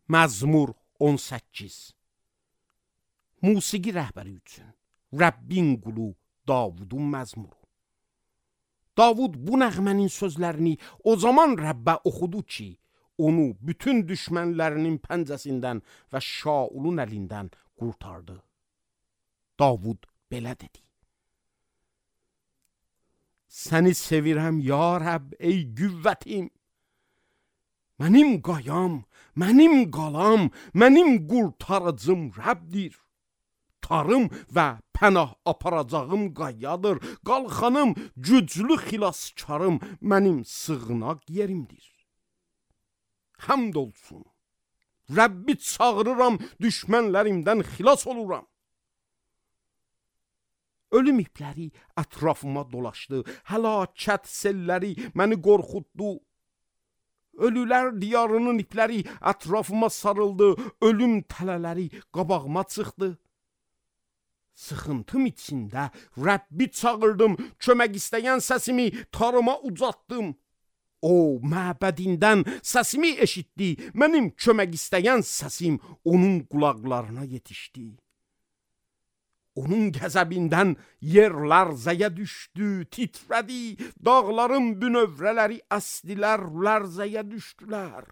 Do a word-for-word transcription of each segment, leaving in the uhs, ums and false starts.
Məzmur on səkkiz. Musiqi rəhbəri üçün Rəbbin qulu Davudun məzmuru. Davud bu nəğmənin sözlərini o zaman Rəbbə oxudu ki, onu bütün düşmənlərinin pəncəsindən və Şaulun əlindən qurtardı. Davud belə dedi: Səni sevirəm ya Rəbb, ey qüvvətim. Mənim qayam, mənim qalam, mənim qurtarıcım Rəbdir. Tarım və pənah aparacağım qayadır. Qalxanım, güclü xilaskarım, mənim sığınaq yerimdir. Həmd olsun. Rəbbi çağırıram, düşmənlərimdən xilas oluram. Ölüm ipləri ətrafıma dolaşdı, həlakət selləri məni qorxutdu. Ölülər diyarının ipləri ətrafıma sarıldı, ölüm tələləri qabağıma çıxdı. Sıxıntım içində Rəbbi çağırdım, kömək istəyən səsimi tarıma ucatdım. O, məbədindən səsimi eşitdi, mənim kömək istəyən səsim onun qulaqlarına yetişdi. Onun qəzəbindən yer lərzəyə düşdü, titrədi, dağların bünövrələri əsdilər, lərzəyə düşdülər.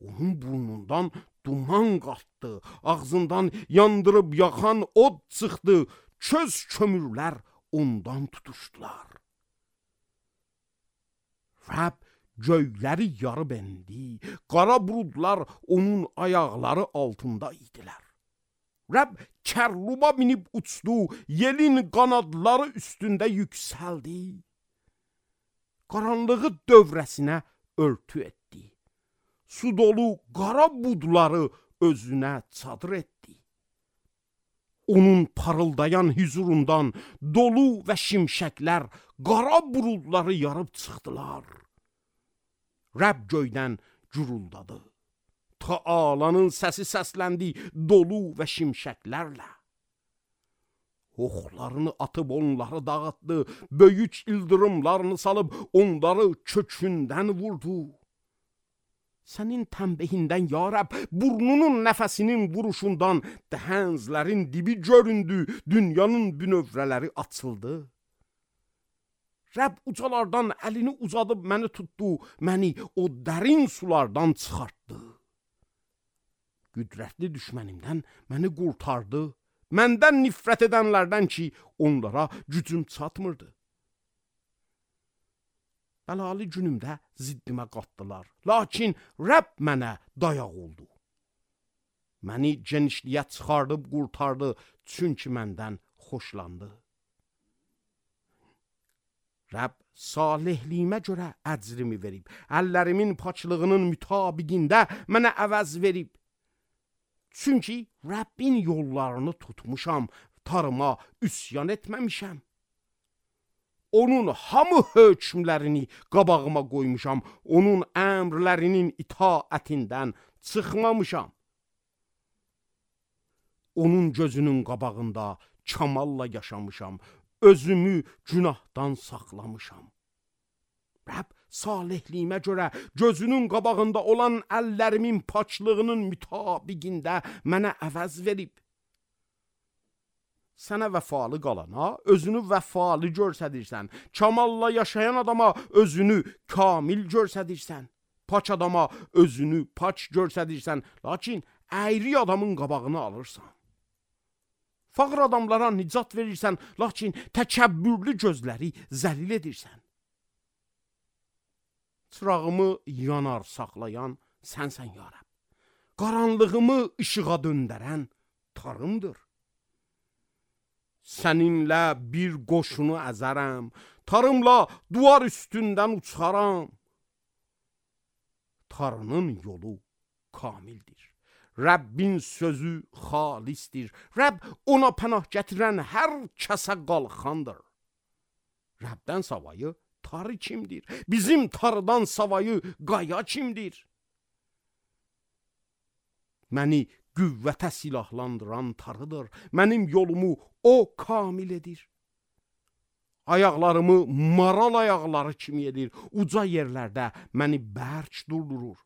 Onun burnundan duman qalxdı, ağzından yandırıb yaxan od çıxdı, köz kömürlər ondan tutuşdular. Rəbb göyləri yarıb endi, qara buludlar onun ayaqları altında idilər. Rəbb kərluba minib uçdu, yelin qanadları üstündə yüksəldi. Qaranlığı dövrəsinə örtü etdi. Su dolu qara budları özünə çadır etdi. Onun parıldayan hüzurundan dolu və şimşəklər qara buludları yarıb çıxdılar. Rəbb göydən guruldadı. Taalanın səsi səsləndi dolu və şimşəklərlə. Oxlarını atıb onları dağıtdı, böyük ildırımlarını salıb onları kökündən vurdu. Sənin tənbehindən ya Rəbb, burnunun nəfəsinin vuruşundan dəhənzlərin dibi göründü, dünyanın bünövrələri açıldı. Rəbb ucalardan əlini uzadıb məni tutdu, məni o dərin sulardan çıxartdı. Qüdrətli düşmənimdən məni qurtardı, məndən nifrət edənlərdən ki, onlara gücüm çatmırdı. Bəlalı günümdə ziddimə qatdılar, lakin Rəbb mənə dayaq oldu. Məni genişliyə çıxardıb qurtardı, çünki məndən xoşlandı. Rəbb salihliyimə görə əcrimi verib, əllərimin paçlığının mütabiqində mənə əvəz verib. Çünki Rəbbin yollarını tutmuşam, tarıma üsyan etməmişəm. Onun hamı hökmlərini qabağıma qoymuşam, onun əmrlərinin itaətindən çıxmamışam. Onun gözünün qabağında kamalla yaşamışam, özümü günahdan saxlamışam. Rəbb salihliyimə görə gözünün qabağında olan əllərimin paçlığının mütabiqində mənə əvəz verib. Sənə vəfalı qalana özünü vəfalı görsədirsən, kamalla yaşayan adama özünü kamil görsədirsən, paç adama özünü paç görsədirsən, lakin əyri adamın qabağını alırsan. Fağır adamlara nicat verirsən, lakin təkəbbürlü gözləri zəlil edirsən. Çırağımı yanar saxlayan sənsən ya Rəbb. Qaranlığımı işığa döndərən tarımdır. Səninlə bir qoşunu əzərəm, tarımla duvar üstündən uçaram. Tarının yolu kamildir. Rəbbin sözü xalisdir. Rəbb ona pənah gətirən hər kəsə qalxandır. Rəbdən savayı tarı kimdir? Bizim tarıdan savayı qaya kimdir? Məni qüvvətə silahlandıran tarıdır. Mənim yolumu o kamil edir. Ayaqlarımı maral ayaqları kimi edir. Uca yerlərdə məni bərk durdurur.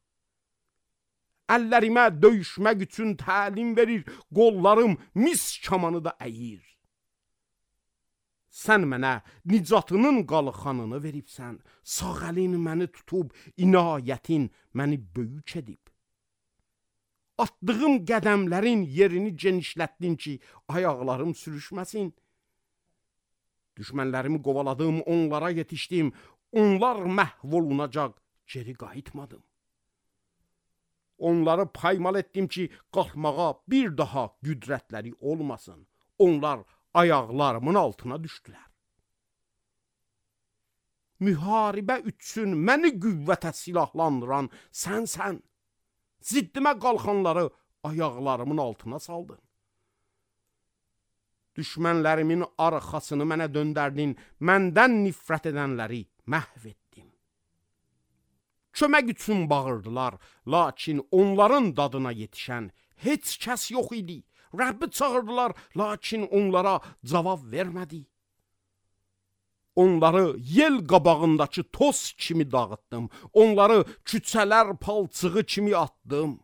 Əllərimə döyüşmək üçün təlim verir, qollarım mis kamanı da əyir. Sən mənə nicatının qalxanını veribsən, sağ əlin məni tutub, inayətin məni böyük edib. Atdığım qədəmlərin yerini genişlətdin ki, ayaqlarım sürüşməsin. Düşmənlərimi qovaladım, onlara yetişdim, onlar məhv olunacaq, geri qayıtmadım. Onları paymal etdim ki, qalxmağa bir daha qüdrətləri olmasın. Onlar ayaqlarımın altına düşdülər. Müharibə üçün məni qüvvətə silahlandıran sənsən. Ziddimə qalxanları ayaqlarımın altına saldın. Düşmənlərimin arxasını mənə döndərdin, məndən nifrət edənləri məhv etdim. Kömək üçün bağırdılar, lakin onların dadına yetişən heç kəs yox idi. Rəbbi çağırdılar, lakin onlara cavab vermədi. Onları yel qabağındakı toz kimi dağıtdım. Onları küçələr palçığı kimi atdım.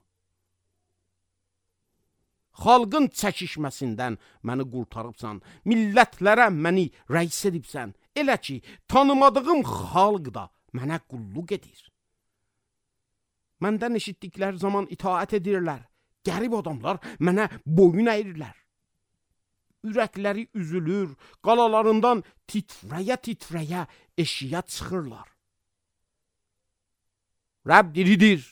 Xalqın çəkişməsindən məni qurtarıbsan. Millətlərə məni rəis edibsən. Elə ki, tanımadığım xalq da mənə qulluq edir. Məndən eşitdikləri zaman itaət edirlər. Qərib adamlar mənə boyun əyirlər. Ürəkləri üzülür, qalalarından titrəyə-titrəyə eşiyə çıxırlar. Rəbb diridir,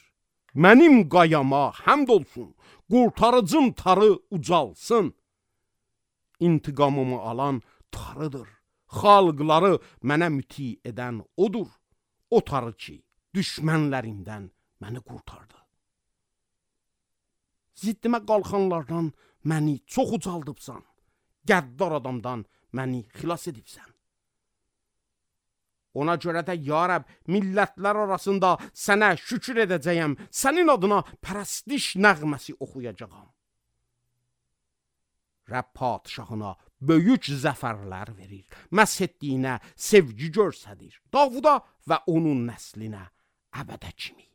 mənim qayama həmd olsun, qurtarıcım tarı ucalsın. İntiqamımı alan tarıdır, xalqları mənə müti edən odur. O tarı ki, düşmənlərimdən məni qurtardı. Ziddimə qalxanlardan məni çox ucaldıbsan. Qəddar adamdan məni xilas edibsən. Ona görə də ya Rəbb, millətlər arasında sənə şükür edəcəyəm, sənin adına pərəstiş nəğməsi oxuyacağam. Rəbb padişahına böyük zəfərlər verir, məsh etdiyinə sevgi göstərir, Davuda və onun nəslinə əbədə kimi.